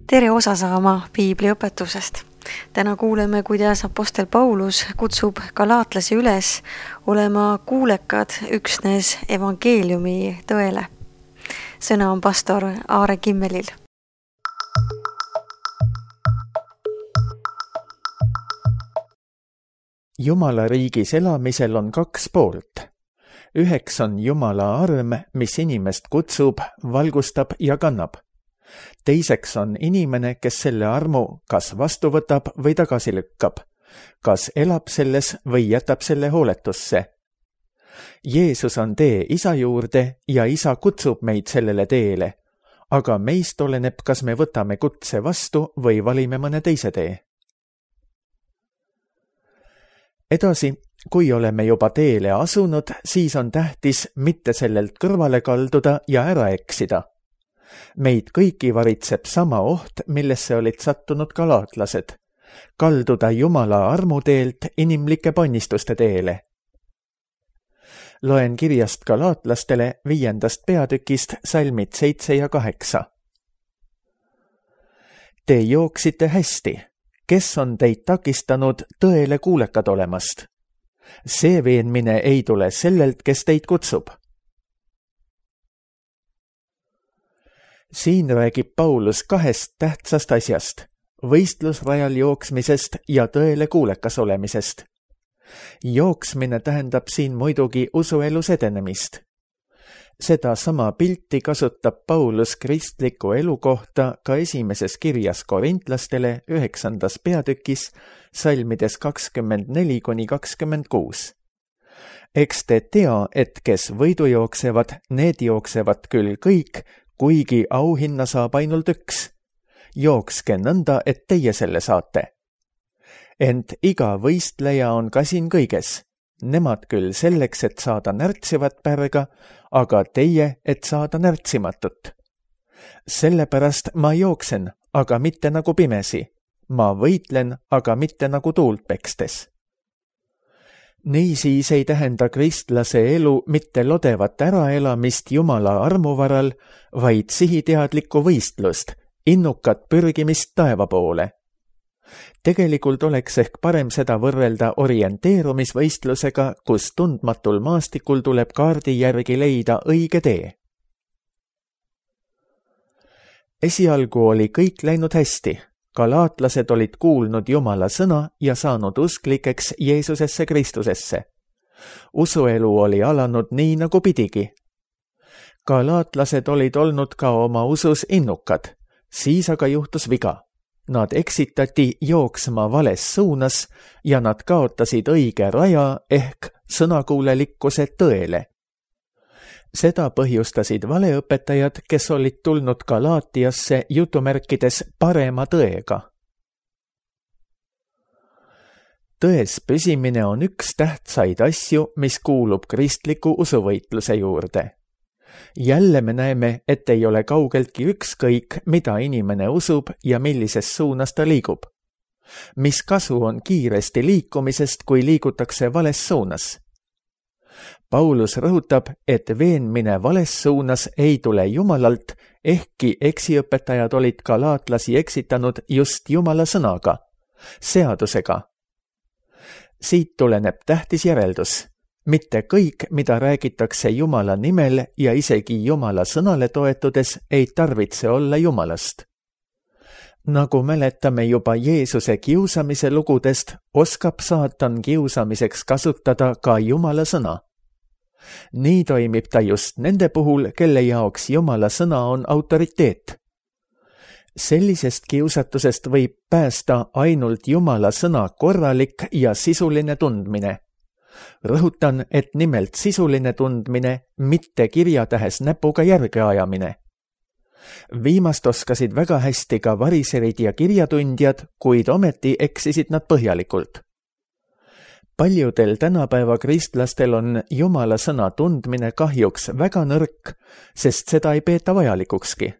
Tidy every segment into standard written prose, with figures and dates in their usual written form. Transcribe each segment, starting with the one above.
Tere osa saama piibliõpetusest. Täna kuuleme, kuidas apostel Paulus kutsub galaatlasi üles olema kuulekad üksnes evangeeliumi tõele. Sõna on pastor Aare Kimmelil. Jumala riigis elamisel on kaks poolt. Üheks on Jumala arm, mis inimest kutsub, valgustab ja kannab. Teiseks on inimene, kes selle armu kas vastu võtab või tagasi lükkab, kas elab selles või jätab selle hooletusse. Jeesus on tee Isa juurde ja Isa kutsub meid sellele teele, aga meist oleneb, kas me võtame kutse vastu või valime mõne teise tee. Edasi, kui oleme juba teele asunud, siis on tähtis mitte sellelt kõrvale kalduda ja ära eksida. Meid kõiki varitseb sama oht, millesse olid sattunud galaatlased. Kalduda Jumala armuteelt inimlike ponnistuste teele. Loen kirjast galaatlastele 5. peatükist salmid 7 ja 8. Te jooksite hästi. Kes on teid takistanud tõele kuulekad olemast? See veenmine ei tule sellelt, kes teid kutsub. Siin räägib Paulus kahest tähtsast asjast, võistlusrajal jooksmisest ja tõele kuulekas olemisest. Jooksmine tähendab siin muidugi usuelus edenemist. Seda sama pilti kasutab Paulus kristliku elu kohta ka esimeses kirjas korintlastele 9. peatükis salmides 24-26. Eks te tea, et kes võidu jooksevad, need jooksevad küll kõik, kuigi auhinna saab ainult üks. Jookske nõnda, et teie selle saate. Ent iga võistleja on ka siin kõiges. Nemad küll selleks, et saada närtsivat pärga, aga teie, et saada närtsimatut. Sellepärast ma jooksen, aga mitte nagu pimesi. Ma võitlen, aga mitte nagu tuult pekstes. Niisiis ei tähenda kristlase elu mitte lodevat äraelamist Jumala armuvaral, vaid sihiteadlikku võistlust, innukat pürgimist taeva poole. Tegelikult oleks ehk parem seda võrrelda orienteerumisvõistlusega, kus tundmatul maastikul tuleb kaardi järgi leida õige tee. Esialgu oli kõik läinud hästi. Galaatlased olid kuulnud Jumala sõna ja saanud usklikeks Jeesusesse Kristusesse. Usuelu oli alanud nii nagu pidigi. Galaatlased olid olnud ka oma usus innukad, siis aga juhtus viga. Nad eksitati jooksma vales suunas ja nad kaotasid õige raja ehk sõnakuulelikkuse tõele. Seda põhjustasid valeõpetajad, kes olid tulnud Galaatiasse jutumärkides parema tõega. Tões püsimine on üks tähtsaid asju, mis kuulub kristliku usuvõitluse juurde. Jälle me näeme, et ei ole kaugeltki ükskõik, mida inimene usub ja millises suunas ta liigub. Mis kasu on kiiresti liikumisest, kui liigutakse vales suunas? Paulus rõhutab, et veenmine vales suunas ei tule Jumalalt, ehkki eksiõpetajad olid galaatlasi eksitanud just Jumala sõnaga, seadusega. Siit tuleneb tähtis järeldus. Mitte kõik, mida räägitakse Jumala nimel ja isegi Jumala sõnale toetudes, ei tarvitse olla Jumalast. Nagu mäletame juba Jeesuse kiusamise lugudest, oskab saatan kiusamiseks kasutada ka Jumala sõna. Nii toimib ta just nende puhul, kelle jaoks Jumala sõna on autoriteet. Sellisest kiusatusest võib päästa ainult Jumala sõna korralik ja sisuline tundmine. Rõhutan, et nimelt sisuline tundmine, mitte kirjatähes näpuga järge ajamine. Viimast oskasid väga hästi ka variserid ja kirjatundjad, kuid ometi eksisid nad põhjalikult. Paljudel tänapäeva kristlastel on Jumala sõna tundmine kahjuks väga nõrk, sest seda ei peeta vajalikukski.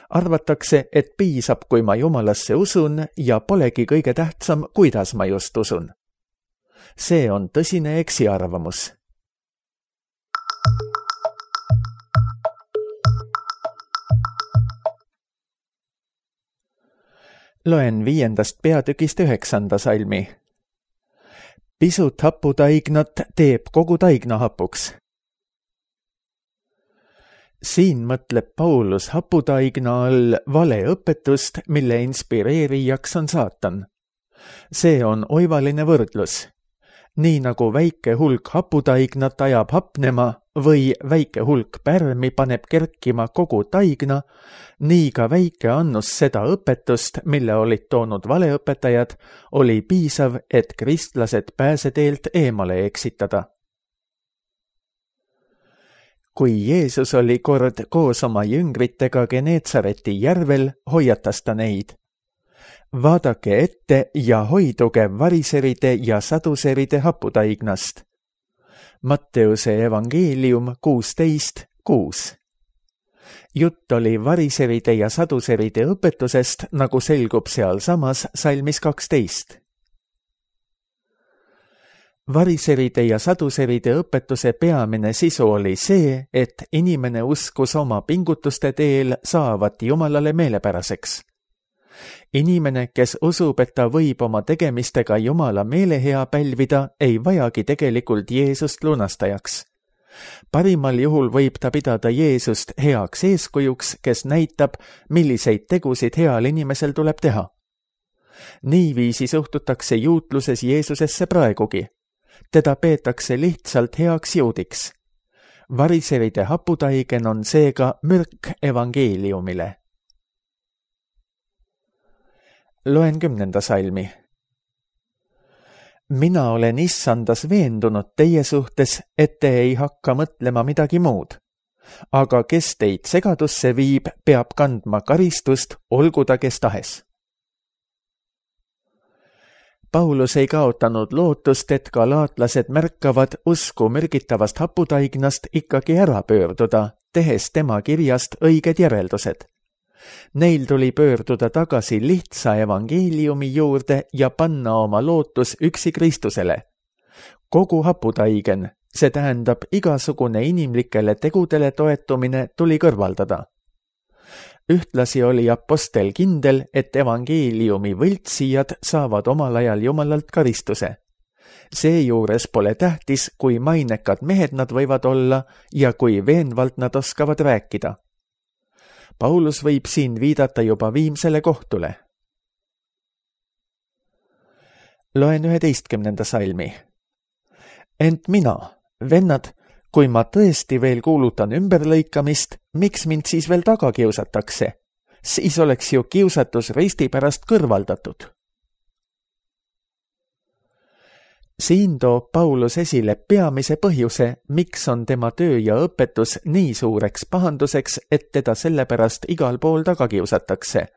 Arvatakse, et piisab, kui ma Jumalasse usun ja polegi kõige tähtsam, kuidas ma just usun. See on tõsine eksiarvamus. Loen 5. peatükist 9. salmi. Pisut haputaignat teeb kogu taigna hapuks. Siin mõtleb Paulus haputaigna all valeõpetust, mille inspireerijaks on saatan. See on oivaline võrdlus. Nii nagu väike hulk haputaignat ajab hapnema või väike hulk pärmi paneb kerkima kogu taigna, nii ka väike annus seda õpetust, mille olid toonud valeõpetajad, oli piisav, et kristlased pääseteelt eemale eksitada. Kui Jeesus oli kord koos oma jüngritega Geneetsareti järvel, hoiatas ta neid. Vaadake ette ja hoiduge variseride ja saduseride haputaignast. Matteuse evangeelium 16:6. Jutt oli variseride ja saduseride õpetusest, nagu selgub sealsamas salmis 12. Variseride ja saduseride õpetuse peamine sisu oli see, et inimene uskus oma pingutuste teel saavat Jumalale meelepäraseks. Inimene, kes usub, et ta võib oma tegemistega Jumala meelehea pälvida, ei vajagi tegelikult Jeesust lunastajaks. Parimal juhul võib ta pidada Jeesust heaks eeskujuks, kes näitab, milliseid tegusid heal inimesel tuleb teha. Niiviisi suhtutakse juutluses Jeesusesse praegugi. Teda peetakse lihtsalt heaks juudiks. Variseride haputaigen on seega mürk evangeeliumile. Loen 10. salmi. Mina olen issandas veendunud teie suhtes, et te ei hakka mõtlema midagi muud. Aga kes teid segadusse viib, peab kandma karistust, olgu ta kes tahes. Paulus ei kaotanud lootust, et galaatlased märkavad usku mürgitavast haputaignast ikkagi ära pöörduda, tehes tema kirjast õiged järeldused. Neil tuli pöörduda tagasi lihtsa evangeeliumi juurde ja panna oma lootus üksi Kristusele. Kogu haputaigen, see tähendab igasugune inimlikele tegudele toetumine, tuli kõrvaldada. Ühtlasi oli apostel kindel, et evangeeliumi võltsijad saavad omal ajal Jumalalt karistuse. Seejuures pole tähtis, kui mainekad mehed nad võivad olla ja kui veenvalt nad oskavad rääkida. Paulus võib siin viidata juba viimsele kohtule. Loen 11. salmi. Ent mina, vennad, kui ma tõesti veel kuulutan ümberlõikamist, miks mind siis veel taga kiusatakse? Siis oleks ju kiusatus risti pärast kõrvaldatud. Siin toob Paulus esile peamise põhjuse, miks on tema töö ja õpetus nii suureks pahanduseks, et teda sellepärast igal pool taga kiusatakse.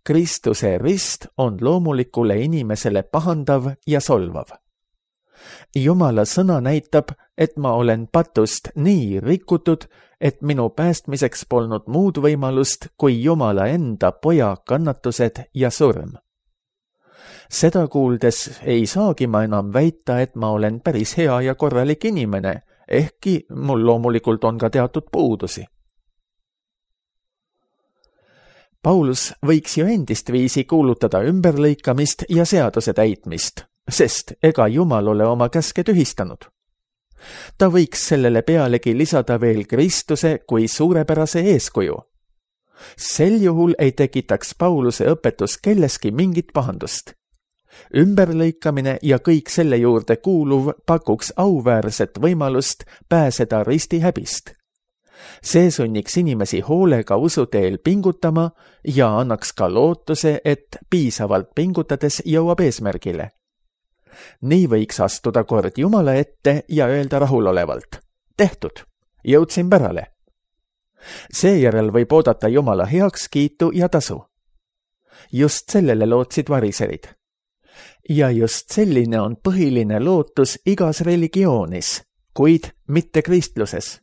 Kristuse rist on loomulikule inimesele pahandav ja solvav. Jumala sõna näitab, et ma olen patust nii rikutud, et minu päästmiseks polnud muud võimalust kui Jumala enda poja kannatused ja surm. Seda kuuldes ei saagi ma enam väita, et ma olen päris hea ja korralik inimene, ehkki mul loomulikult on ka teatud puudusi. Paulus võiks ju endist viisi kuulutada ümberlõikamist ja seaduse täitmist, sest ega Jumal ole oma käske tühistanud. Ta võiks sellele pealegi lisada veel Kristuse kui suurepärase eeskuju. Sel juhul ei tekitaks Pauluse õpetus kelleski mingit pahandust. Ümberlõikamine ja kõik selle juurde kuuluv pakuks auväärset võimalust pääseda risti häbist. See sunniks inimesi hoolega usuteel pingutama ja annaks ka lootuse, et piisavalt pingutades jõuab eesmärgile. Nii võiks astuda kord Jumala ette ja öelda rahulolevalt: tehtud, jõudsin pärale. Seejärel võib oodata Jumala heakskiitu ja tasu. Just sellele lootsid variserid. Ja just selline on põhiline lootus igas religioonis, kuid mitte kristluses.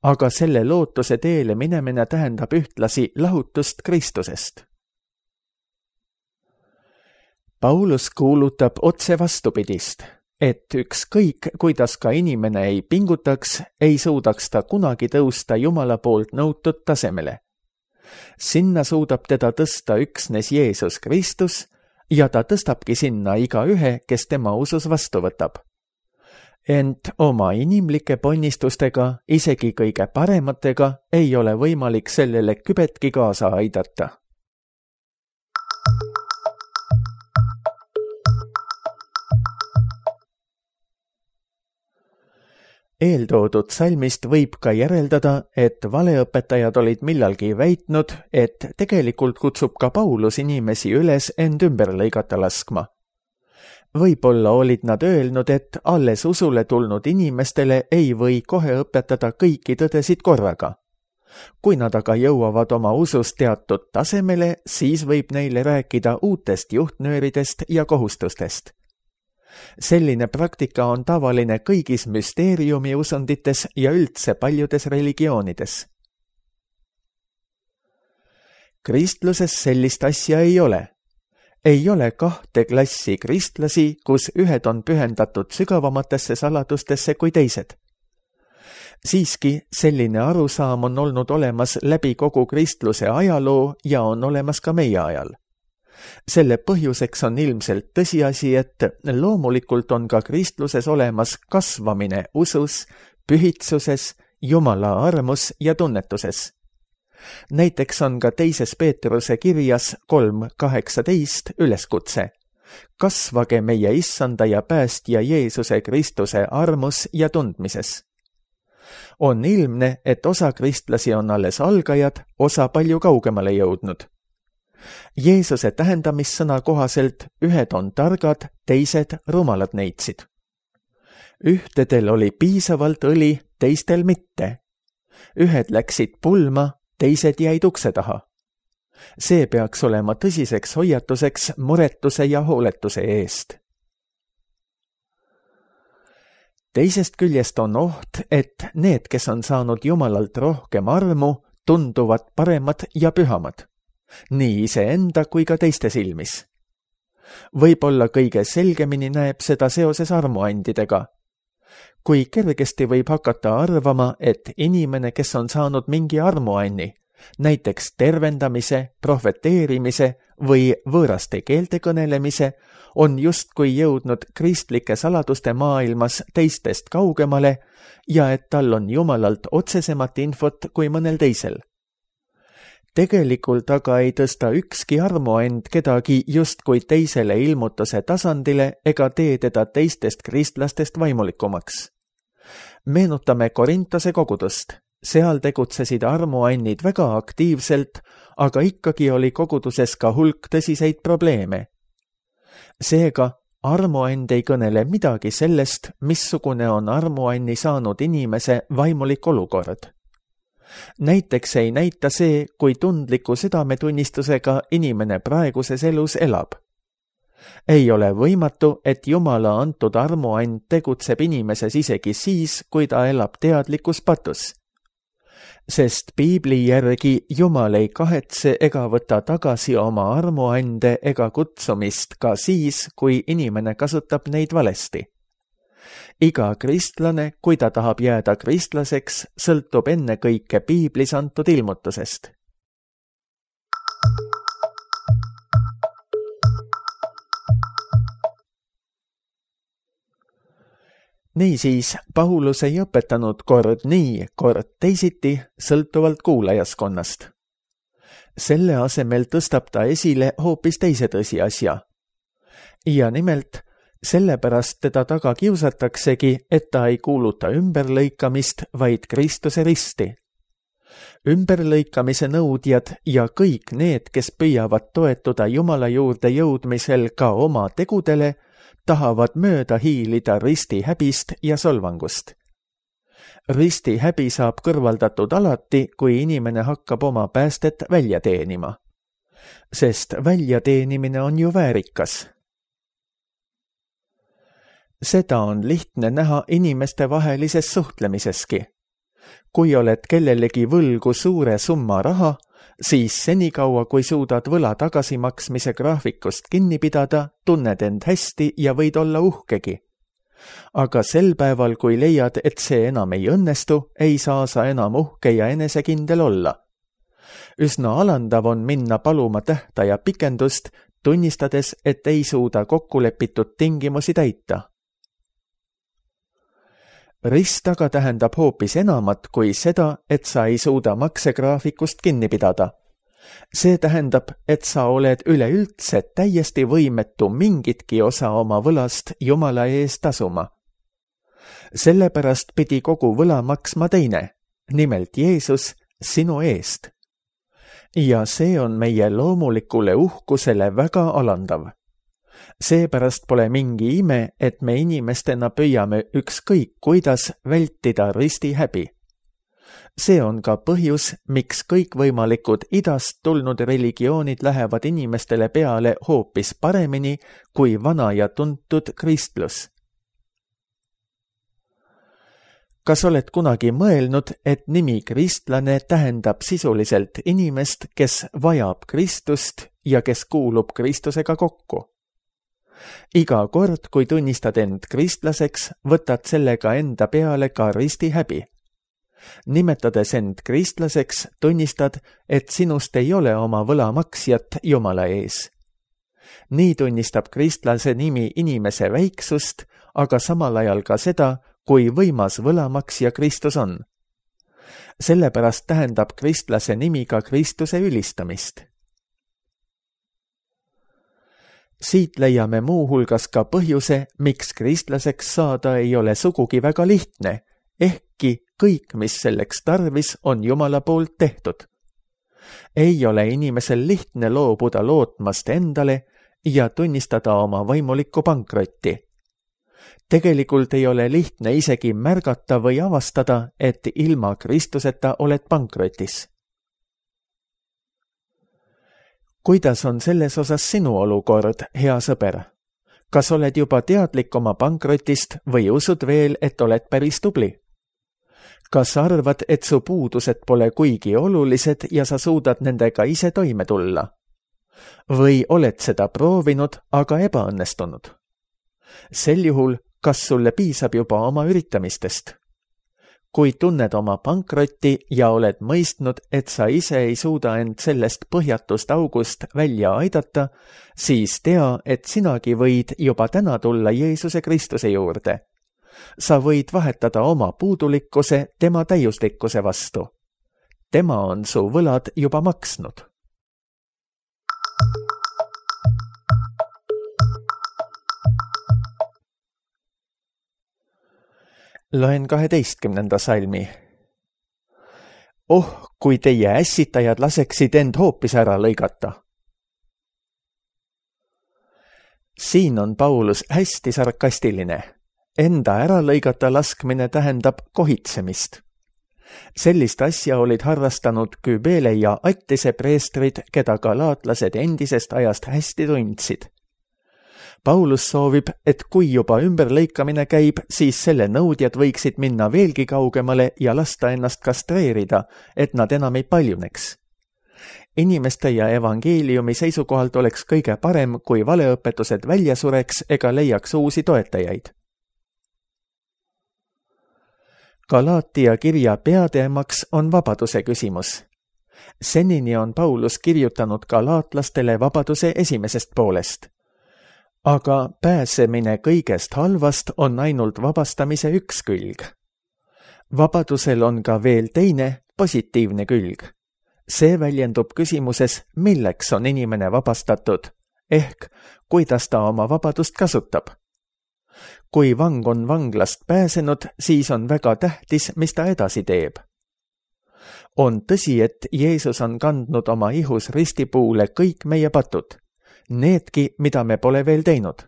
Aga selle lootuse teele minemine tähendab ühtlasi lahutust Kristusest. Paulus kuulutab otse vastupidist, et ükskõik, kuidas ka inimene ei pingutaks, ei suudaks ta kunagi tõusta Jumala poolt nõutud tasemele. Sinna suudab teda tõsta üksnes Jeesus Kristus ja ta tõstabki sinna igaühe, kes tema usus vastu võtab. Ent oma inimlike ponnistustega, isegi kõige parematega, ei ole võimalik sellele kübetki kaasa aidata. Eeltoodud salmist võib ka järeldada, et valeõpetajad olid millalgi väitnud, et tegelikult kutsub ka Paulus inimesi üles end ümber lõigata laskma. Võib-olla olid nad öelnud, et alles usule tulnud inimestele ei või kohe õpetada kõiki tõdesid korraga. Kui nad aga jõuavad oma usus teatud tasemele, siis võib neile rääkida uutest juhtnööridest ja kohustustest. Selline praktika on tavaline kõigis müsteeriumi usundites ja üldse paljudes religioonides. Kristluses sellist asja ei ole. Ei ole kahte klassi kristlasi, kus ühed on pühendatud sügavamatesse saladustesse kui teised. Siiski selline arusaam on olnud olemas läbi kogu kristluse ajaloo ja on olemas ka meie ajal. Selle põhjuseks on ilmselt tõsiasi, et loomulikult on ka kristluses olemas kasvamine usus, pühitsuses, Jumala armus ja tunnetuses. Näiteks on ka 2. Peetruse kirjas 3.18 üleskutse. Kasvage meie issanda ja päästja Jeesuse Kristuse armus ja tundmises. On ilmne, et osa kristlasi on alles algajad, osa palju kaugemale jõudnud. Jeesuse tähendamissõna kohaselt ühed on targad, teised rumalad neitsid. Ühtedel oli piisavalt õli, teistel mitte. Ühed läksid pulma, teised jäid ukse taha. See peaks olema tõsiseks hoiatuseks muretuse ja hooletuse eest. Teisest küljest on oht, et need, kes on saanud Jumalalt rohkem armu, tunduvad paremad ja pühamad. Nii iseenda kui ka teiste silmis. Võib-olla kõige selgemini näeb seda seoses armuandidega. Kui kergesti võib hakata arvama, et inimene, kes on saanud mingi armuanni, näiteks tervendamise, prohveteerimise või võõraste keelte kõnelemise, on justkui jõudnud kristlike saladuste maailmas teistest kaugemale ja et tal on Jumalalt otsesemat infot kui mõnel teisel. Tegelikult aga ei tõsta ükski armuand kedagi justkui teisele ilmutuse tasandile ega tee teda teistest kristlastest vaimulikumaks. Meenutame Korintose kogudust. Seal tegutsesid armuannid väga aktiivselt, aga ikkagi oli koguduses ka hulk tõsiseid probleeme. Seega, armuand ei kõnele midagi sellest, missugune on armuanni saanud inimese vaimulik olukord. Näiteks ei näita see, kui tundliku südametunnistusega inimene praeguses elus elab. Ei ole võimatu, et Jumala antud armuand tegutseb inimeses isegi siis, kui ta elab teadlikus patus. Sest Piibli järgi Jumal ei kahetse ega võta tagasi oma armuande ega kutsumist ka siis, kui inimene kasutab neid valesti. Iga kristlane, kui ta tahab jääda kristlaseks, sõltub ennekõike Piiblis antud ilmutusest. Niisiis, Paulus ei õpetanud kord nii, kord teisiti, sõltuvalt kuulajaskonnast. Selle asemel tõstab ta esile hoopis teise tõsiasja. Ja nimelt, sellepärast teda taga kiusataksegi, et ta ei kuuluta ümberlõikamist, vaid Kristuse risti. Ümberlõikamise nõudjad ja kõik need, kes püüavad toetuda Jumala juurde jõudmisel ka oma tegudele, tahavad mööda hiilida risti häbist ja solvangust. Risti häbi saab kõrvaldatud alati, kui inimene hakkab oma päästet välja teenima. Sest väljateenimine on ju väärikas. Seda on lihtne näha inimeste vahelises suhtlemiseski. Kui oled kellelegi võlgu suure summa raha, siis senikaua, kui suudad võla tagasimaksmise graafikust kinni pidada, tunned end hästi ja võid olla uhkegi. Aga sel päeval, kui leiad, et see enam ei õnnestu, ei saa sa enam uhke ja enesekindel olla. Üsna alandav on minna paluma tähtaja pikendust, tunnistades, et ei suuda kokkulepitud tingimusi täita. Rist aga tähendab hoopis enamat kui seda, et sa ei suuda maksegraafikust kinni pidada. See tähendab, et sa oled üleüldse täiesti võimetu mingitki osa oma võlast Jumala ees tasuma. Sellepärast pidi kogu võla maksma teine, nimelt Jeesus, sinu eest. Ja see on meie loomulikule uhkusele väga alandav. Seepärast pole mingi ime, et me inimestena püüame ükskõik kuidas vältida risti häbi. See on ka põhjus, miks kõikvõimalikud idast tulnud religioonid lähevad inimestele peale hoopis paremini kui vana ja tuntud kristlus. Kas oled kunagi mõelnud, et nimi kristlane tähendab sisuliselt inimest, kes vajab Kristust ja kes kuulub Kristusega kokku? Iga kord, kui tunnistad end kristlaseks, võtad sellega enda peale ka risti häbi. Nimetades end kristlaseks, tunnistad, et sinust ei ole oma võlamaksjat Jumala ees. Nii tunnistab kristlase nimi inimese väiksust, aga samal ajal ka seda, kui võimas võlamaksja Kristus on. Sellepärast tähendab kristlase nimi ka Kristuse ülistamist. Siit leiame muuhulgas ka põhjuse, miks kristlaseks saada ei ole sugugi väga lihtne, ehkki kõik, mis selleks tarvis, on Jumala poolt tehtud. Ei ole inimesel lihtne loobuda lootmast endale ja tunnistada oma vaimulikku pankrotti. Tegelikult ei ole lihtne isegi märgata või avastada, et ilma Kristuseta oled pankrotis. Kuidas on selles osas sinu olukord, hea sõber? Kas oled juba teadlik oma pankrotist või usud veel, et oled päris tubli? Kas arvad, et su puudused pole kuigi olulised ja sa suudad nendega ise toime tulla? Või oled seda proovinud, aga ebaõnnestunud? Sel juhul, kas sulle piisab juba oma üritamistest? Kui tunned oma pankrotti ja oled mõistnud, et sa ise ei suuda end sellest põhjatust august välja aidata, siis tea, et sinagi võid juba täna tulla Jeesuse Kristuse juurde. Sa võid vahetada oma puudulikkuse tema täiuslikkuse vastu. Tema on su võlad juba maksnud. Loen 12. salmi. Oh, kui teie ässitajad laseksid end hoopis ära lõigata. Siin on Paulus hästi sarkastiline. Enda ära lõigata laskmine tähendab kohitsemist. Sellist asja olid harrastanud Kybele ja Attise preestrid, keda galaatlased endisest ajast hästi tundsid. Paulus soovib, et kui juba ümberlõikamine käib, siis selle nõudjad võiksid minna veelgi kaugemale ja lasta ennast kastreerida, et nad enam ei paljuneks. Inimeste ja evangeeliumi seisukohalt oleks kõige parem, kui valeõpetused välja sureks ega leiaks uusi toetajaid. Galaatia kirja peateemaks on vabaduse küsimus. Senini on Paulus kirjutanud galaatlastele vabaduse esimesest poolest. Aga pääsemine kõigest halvast on ainult vabastamise üks külg. Vabadusel on ka veel teine, positiivne külg. See väljendub küsimuses, milleks on inimene vabastatud, ehk kuidas ta oma vabadust kasutab. Kui vang on vanglast pääsenud, siis on väga tähtis, mis ta edasi teeb. On tõsi, et Jeesus on kandnud oma ihus ristipuule kõik meie patud. Needki, mida me pole veel teinud.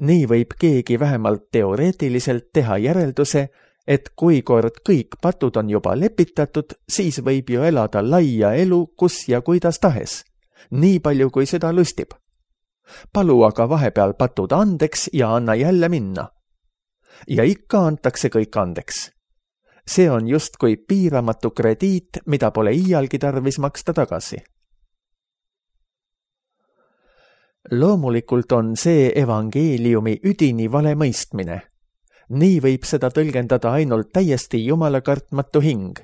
Nii võib keegi vähemalt teoreetiliselt teha järelduse, et kui kord kõik patud on juba lepitatud, siis võib ju elada laia elu, kus ja kuidas tahes. Nii palju, kui süda lustib. Palu aga vahepeal patud andeks ja anna jälle minna. Ja ikka antakse kõik andeks. See on justkui piiramatu krediit, mida pole iialgi tarvis maksta tagasi. Loomulikult on see evangeeliumi üdini vale mõistmine. Nii võib seda tõlgendada ainult täiesti jumala kartmatu hing.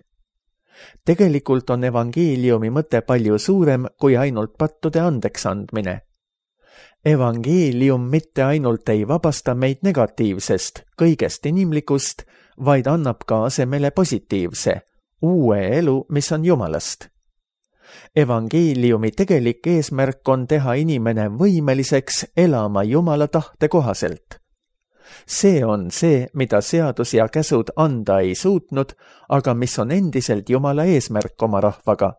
Tegelikult on evangeeliumi mõte palju suurem kui ainult pattude andeks andmine. Evangeelium mitte ainult ei vabasta meid negatiivsest, kõigest inimlikust, vaid annab ka asemele positiivse, uue elu, mis on Jumalast. Evangeeliumi tegelik eesmärk on teha inimene võimeliseks elama Jumala tahte kohaselt. See on see, mida seadus ja käsud anda ei suutnud, aga mis on endiselt Jumala eesmärk oma rahvaga.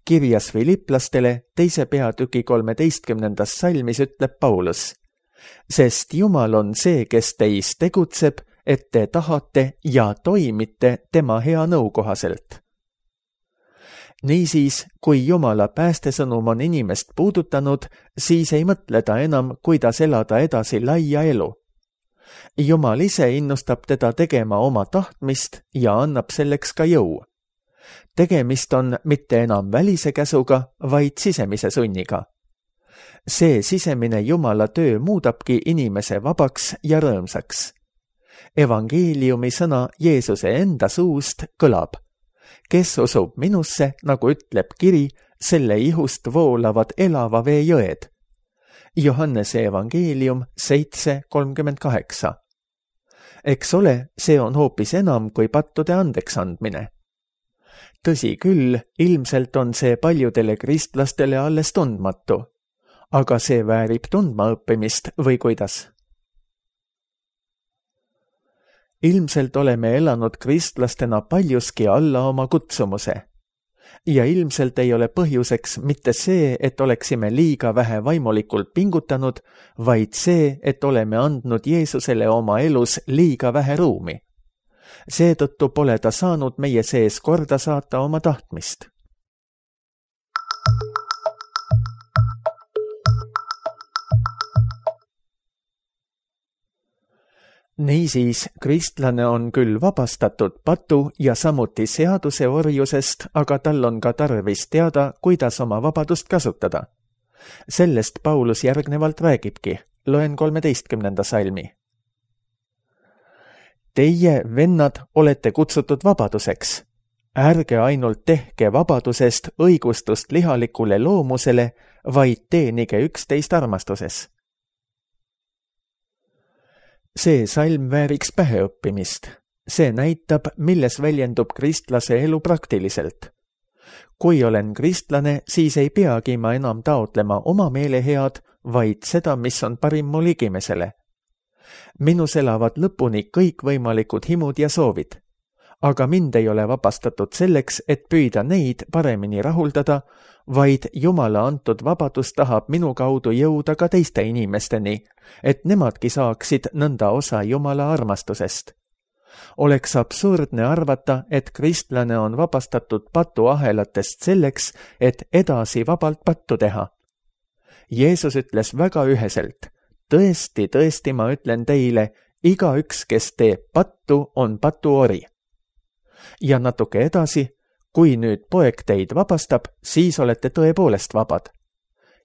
Kirjas Filiplastele 2. peatüki 13. salmis ütleb Paulus: sest Jumal on see, kes teis tegutseb, et te tahate ja toimite tema hea nõu kohaselt. Niisiis, kui Jumala päästesõnum on inimest puudutanud, siis ei mõtle ta enam, kuidas elada edasi laia elu. Jumal ise innustab teda tegema oma tahtmist ja annab selleks ka jõu. Tegemist on mitte enam välise käsuga, vaid sisemise sunniga. See sisemine Jumala töö muudabki inimese vabaks ja rõõmsaks. Evangeeliumi sõna Jeesuse enda suust kõlab: kes usub minusse, nagu ütleb kiri, selle ihust voolavad elava vee jõed. Johannese evangeelium 7:38. Eks ole, see on hoopis enam kui pattude andeks andmine. Tõsi küll, ilmselt on see paljudele kristlastele alles tundmatu. Aga see väärib tundma õppimist või kuidas? Ilmselt oleme elanud kristlastena paljuski alla oma kutsumuse. Ja ilmselt ei ole põhjuseks mitte see, et oleksime liiga vähe vaimulikult pingutanud, vaid see, et oleme andnud Jeesusele oma elus liiga vähe ruumi. Seetõttu pole ta saanud meie sees korda saata oma tahtmist. Niisiis, kristlane on küll vabastatud patu ja samuti seaduse orjusest, aga tal on ka tarvis teada, kuidas oma vabadust kasutada. Sellest Paulus järgnevalt räägibki. Loen 13. salmi. Teie, vennad, olete kutsutud vabaduseks. Ärge ainult tehke vabadusest õigustust lihalikule loomusele, vaid teenige üksteist armastuses. See salm vääriks päheõppimist. See näitab, milles väljendub kristlase elu praktiliselt. Kui olen kristlane, siis ei peagi ma enam taotlema oma meelehead, vaid seda, mis on parim mu ligimesele. Minus elavad lõpuni kõikvõimalikud himud ja soovid. Aga mind ei ole vabastatud selleks, et püüda neid paremini rahuldada, vaid Jumala antud vabadus tahab minu kaudu jõuda ka teiste inimesteni, et nemadki saaksid nõnda osa Jumala armastusest. Oleks absurdne arvata, et kristlane on vabastatud patuahelatest selleks, et edasi vabalt pattu teha. Jeesus ütles väga üheselt: tõesti, tõesti, ma ütlen teile, igaüks, kes teeb pattu, on patuori. Ja natuke edasi: kui nüüd poeg teid vabastab, siis olete tõepoolest vabad.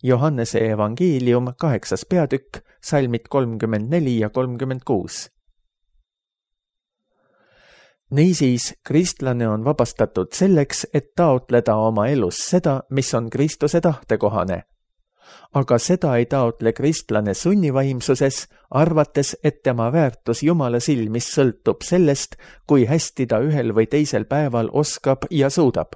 Johannese evangeelium 8. peatükk, salmid 34 ja 36. Niisiis, kristlane on vabastatud selleks, et taotleda oma elus seda, mis on Kristuse tahtekohane. Aga seda ei taotle kristlane sunnivaimsuses, arvates, et tema väärtus Jumala silmis sõltub sellest, kui hästi ta ühel või teisel päeval oskab ja suudab.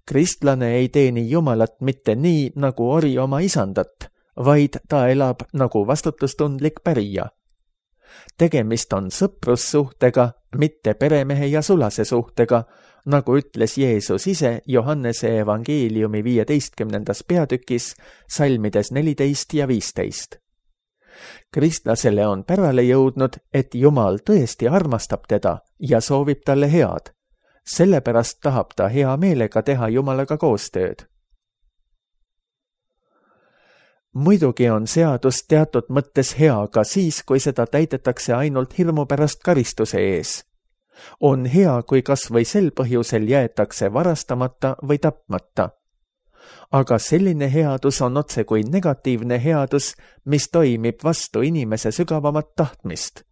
Kristlane ei teeni Jumalat mitte nii, nagu ori oma isandat, vaid ta elab nagu vastutustundlik pärija. Tegemist on sõprussuhtega, mitte peremehe ja sulase suhtega, nagu ütles Jeesus ise Johannese evangeeliumi 15. peatükis, salmides 14 ja 15. Kristlasele on pärale jõudnud, et Jumal tõesti armastab teda ja soovib talle head. Sellepärast tahab ta hea meelega teha Jumalaga koostööd. Muidugi on seadus teatud mõttes hea ka siis, kui seda täidetakse ainult hirmu pärast karistuse ees. On hea, kui kas või sel põhjusel jäetakse varastamata või tapmata. Aga selline headus on otse kui negatiivne headus, mis toimib vastu inimese sügavamat tahtmist.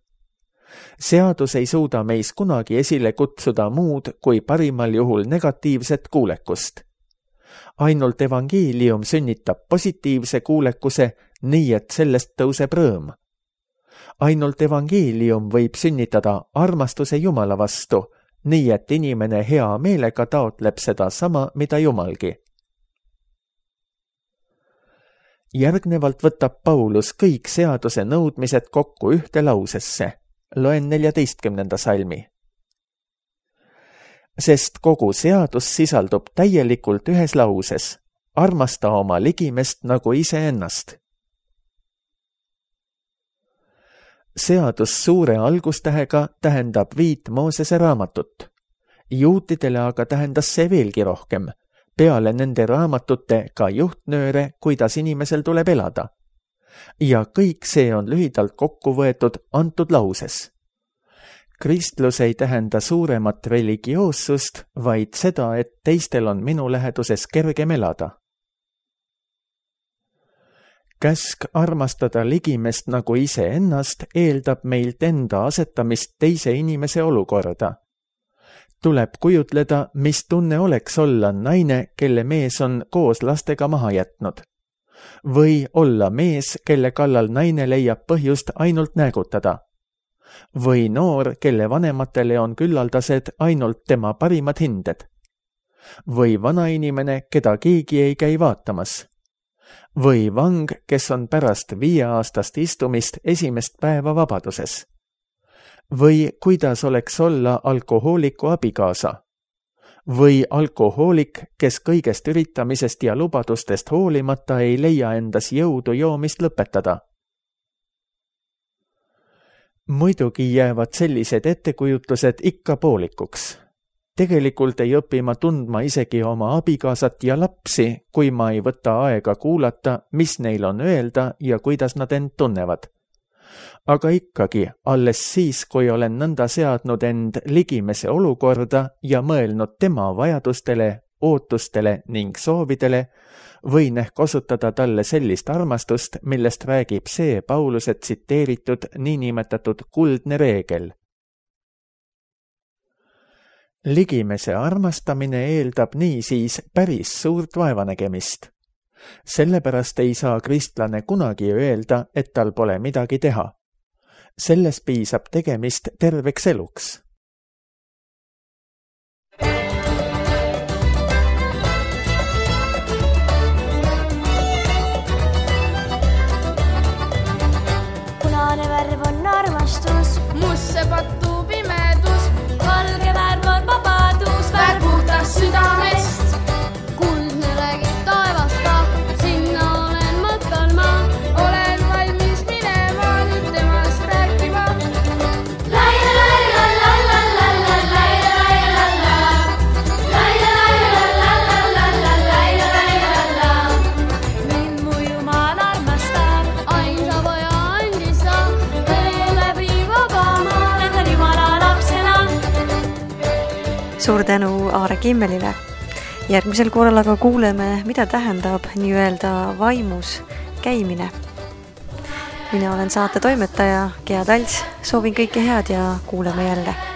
seadus ei suuda meis kunagi esile kutsuda muud kui parimal juhul negatiivset kuulekust. Ainult evangeelium sünnitab positiivse kuulekuse, nii et sellest tõuseb rõõm. Ainult evangeelium võib sünnitada armastuse Jumala vastu, nii et inimene hea meelega taotleb seda sama, mida Jumalgi. Järgnevalt võtab Paulus kõik seaduse nõudmised kokku ühte lausesse. Loen 14. salmi. Sest kogu seadus sisaldub täielikult ühes lauses. Armasta oma ligimest nagu iseennast. Seadus suure algustähega tähendab 5 Moosese raamatut. Juutidele aga tähendas see veelgi rohkem. Peale nende raamatute ka juhtnööre, kuidas inimesel tuleb elada. Ja kõik see on lühidalt kokku võetud antud lauses. Kristlus ei tähenda suuremat religioossust, vaid seda, et teistel on minu läheduses kergem elada. Käsk armastada ligimest nagu iseennast eeldab meilt enda asetamist teise inimese olukorda. Tuleb kujutleda, mis tunne oleks olla naine, kelle mees on koos lastega maha jätnud. Või olla mees, kelle kallal naine leiab põhjust ainult näägutada. Või noor, kelle vanematele on küllaldased ainult tema parimad hinded. Või vanainimene, keda keegi ei käi vaatamas. Või vang, kes on pärast 5-aastast istumist esimest päeva vabaduses. Või kuidas oleks olla alkohooliku abikaasa. Või alkohoolik, kes kõigest üritamisest ja lubadustest hoolimata ei leia endas jõudu joomist lõpetada. Muidugi jäävad sellised ettekujutlused ikka poolikuks. Tegelikult ei õpi ma tundma isegi oma abikaasat ja lapsi, kui ma ei võta aega kuulata, mis neil on öelda ja kuidas nad end tunnevad. Aga ikkagi, alles siis, kui olen nõnda seadnud end ligimese olukorda ja mõelnud tema vajadustele, ootustele ning soovidele, võin ehk osutada talle sellist armastust, millest räägib see Pauluse tsiteeritud niinimetatud kuldne reegel. Ligimese armastamine eeldab niisiis päris suurt vaevanägemist. Sellepärast ei saa kristlane kunagi öelda, et tal pole midagi teha. Selles piisab tegemist terveks eluks. Punane värv on armastus, musse pattu pimedus, valge värv on vabadus, värv puhtast südamest. kuldne räägib taevast ka, sinna olen matkal ma. Olen valmis minema nüüd temast rääkima. Mind mu Jumal armastab, ainsa poja andis ta, elab nii vaba ma, lendan Jumala lapsena. Suur tänu Aare Kimmelile. Järgmisel korral aga kuuleme, mida tähendab nii-öelda vaimus käimine. Mina olen saate toimetaja Gea Talts, soovin kõike head ja kuuleme jälle.